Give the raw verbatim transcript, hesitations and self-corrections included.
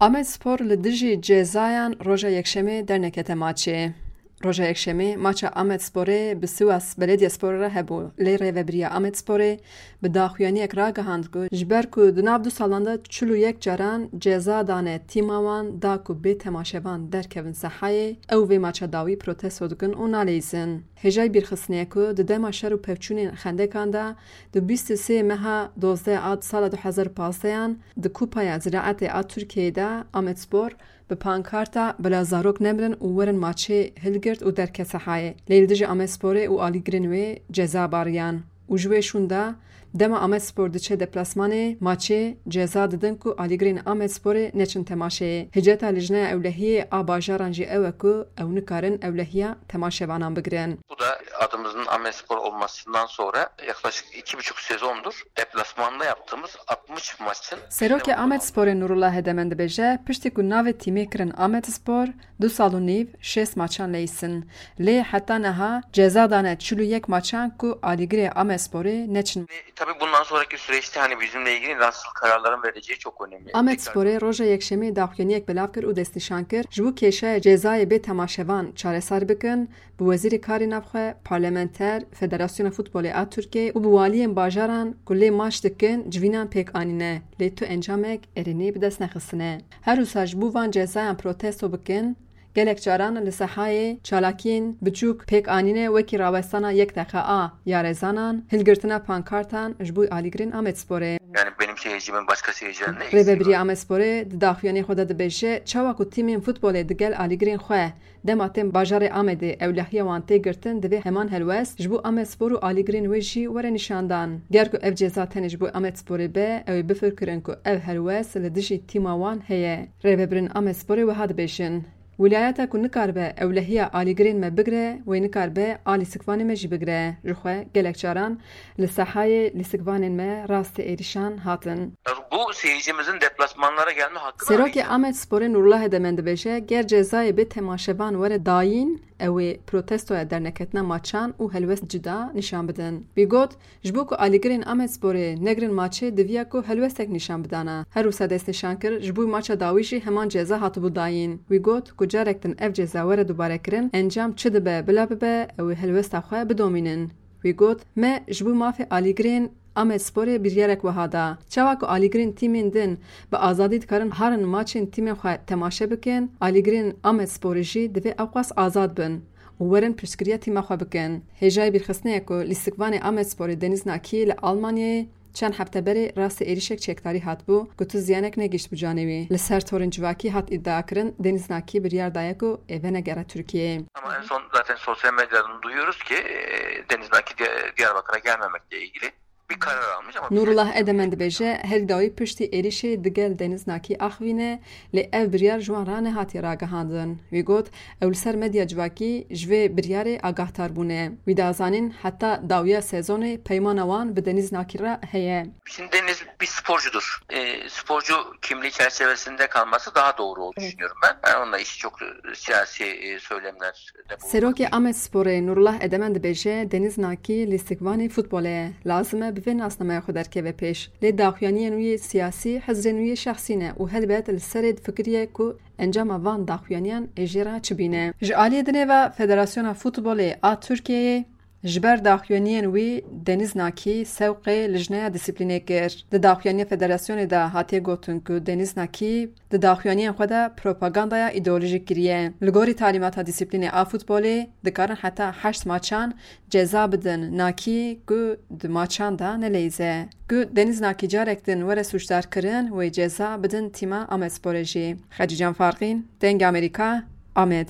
Amedspor li dijî cezayan roja Yekşemê dernekete maçê. Roja Yekşemê maça Amedsporê bi Sivas Belediyesporê re hebû, lê rêvebiriya Amedsporê bi daxuyaniyek ragihand ku ji ber ku di nav du salan de çil û yek caran ceza dane tîma wan da ku bê temaşevan derkevin sehayê, ew vê maça dawî protesto dikin û naleyîzin. Hêjayî bîrxistinê ye ku di dema şer û pevçûnên xendekan de, di bîst û sê meha dozdeh a sala du hezar û pazdehan di Kupaya Ziraetê a Tirkiyeyê de Amedspor bi pankarta "Bila zarok nemirin û werin maçê" hilgirt û derket sehayê. Lê li dijî Amedsporê û alîgirên wê ceza bariyan. Û ji wê şûn de dema Amedspor diçe deplasmanê maçê ceza didin ku alîgirên Amedsporê neçin temaşeyê. Hiceta Lijneya Ewlehiyê a bajaran jî ew e ku ew nikarin ewlehiya temaşevanan bigirin. Bu da adımızın Amedspor olmasından sonra yaklaşık iki buçuk sezondur deplasmanda yaptığımız altmış maçın Serokê Amedsporê Nurullah Hedemen dibêje, piştî ku navê tîmê kirin Amedspor, du sal û nîv şêst maçan leyîsin. Lê heta niha ceza dane çil û yek maçan ku alîgirê Amedsporê neçin. Tabii bundan sonraki süreçte hani bizimle ilgili nasıl kararların vereceği çok önemli. Amedsporê roja Yekşemê daxuyaniyek belav kir û destnîşan kir, ji bo kêşeya cezayê bê temaşevan çareser bikin, bi Wezîrê Karê Navxwe, parlamenter, Federasyona Futbolê a Tirkiyeyê û bi waliyên bajaran ku lê maç dikin civînan pêk anîne, lê tu encamek erênê bi dest nexistine. Her wisa ji bo van cezayan protesto bikin, gelek caran li sehayê çalakiyên biçûk pêk anîne, wekî rawestana yek deqa a yarezanan, hilgirtina pankartan ji bo alîgirên Amedsporê. Yani benim seyircimin başka seyircilerin ne Rêvebiriya Amedsporê di daxuyaniyê xwe de dibêje, çawa ku tîmên futbolê digel alîgirên xwe dema tên bajarê Amedê ewlehiya wan tê girtin, divê heman helwest ji bo Amedspor û alîgirên wê jî were nîşandan. Ger ku ev ceza tenê ji bo Amedsporê be, ew ê bifirkirin ku ev helwest li dijî tîma wan heye. Rêvebirên Amedsporê wiha dibêjin, Wîlayeta ku nikaribe ewlehiya alîgirên me bigire, wê nikaribe a lîstikvanê me jî bigire. Ji xwe gelek caran li sehayê lîstikvanên me rastî êrîşan hatin. Bu seyircimizin deplasmanlara gelme hakkını Serokê Amedsporê Nurullah Hedemen dibêje, ger cezayê bê temaşevan were dayîn, ew ê protestoya derneketina maçan û helwest cida nîşan bidin. Wî got, ji bo ku alîgirên Amedsporê negirin maçê, diviya ku helwestek nîşan bidana. Her wisa destnîşan kir, ji bo maça dawî jî heman ceza hatibû dayîn. Wî got ku carek din ev ceza were dubarekirin, encam çi dibe bila bibe, ew ê helwesta xwe bidomînin. Wî got, Me ji bo mafê alîgirên Amedsporê biryarek wiha da. Çawa ku alîgirên tîmên din bi azadî dikarin herin maçên tîmên xwe temaşe bikin, alîgirên Amedsporê jî divê ewqas azad bin û werin piştgiriya tîma xwe bikin. Hêjayî bîrxistinê ye ku lîstikvanê Amedsporê Deniz Nakî li Almanyayê çend hefte berê rastî êrîşek çekdarî hatibû ku tu ziyanek negihîştibû canê wî. Li ser torên civakî hat îdiakirin, Deniz Nakî biryar daye ku ê venegere Tirkiyeyê. Ama en son zaten sosyal medyadan duyuyoruz ki, e, Deniz Naki Di-, Diyarbakır'a gelmemekle ilgili bir karar almış ama Nurullah Edemen dibêje, herî dawî piştî êrîşê digel Deniz Nakî axivîne, lê ev biryar ji wan re nehatiye ragihandin. Wî got, ew li ser medya civakî ji vê biryarê agahdar bûne. Wî da zanîn, heta dawiya sezonê peymana wan bi Deniz Nakî re heye. Şimdi Deniz bir sporcudur. E, sporcu kimliği çerçevesinde kalması daha doğru olduğunu Evet. düşünüyorum ben. Yani onunla işi çok, e, siyasi, e, söylemler de bulunmak Serokê Amedsporê Nurullah Edemen dibêje, Deniz Nakî lîstikvanê futbolê ye. Lazim e bi vê nasnameya xwe derkeve pêş. Lê daxuyaniyên wî yê siyasî, hizrên wî yê şexsî ne û helbet li serê difikiriye ku encama van daxuyaniyan ê jê re çi bîne. Ji aliyê dinê ve Federasyona Futbolê a Tirkiyeyê ji ber daxuyaniyên wî Deniz Nakî sewqê lijneya disiplînê kir. Di daxuyaniya federasyonê de hatiye gotin ku Deniz Nakî di daxuyaniyên xwe de propagandaya îdeolojîk kiriye. Li gorî talîmata disiplînê a futbolê dikarin heta heşt maçan ceza bidin Nakî ku di maçan de neleyîze. Ku Deniz Nakî carek din were sûcdar kirin, wê ceza bidin tîma Amedsporê jî. Xecîcan Farqîn, Dengê Amerîka, Amed.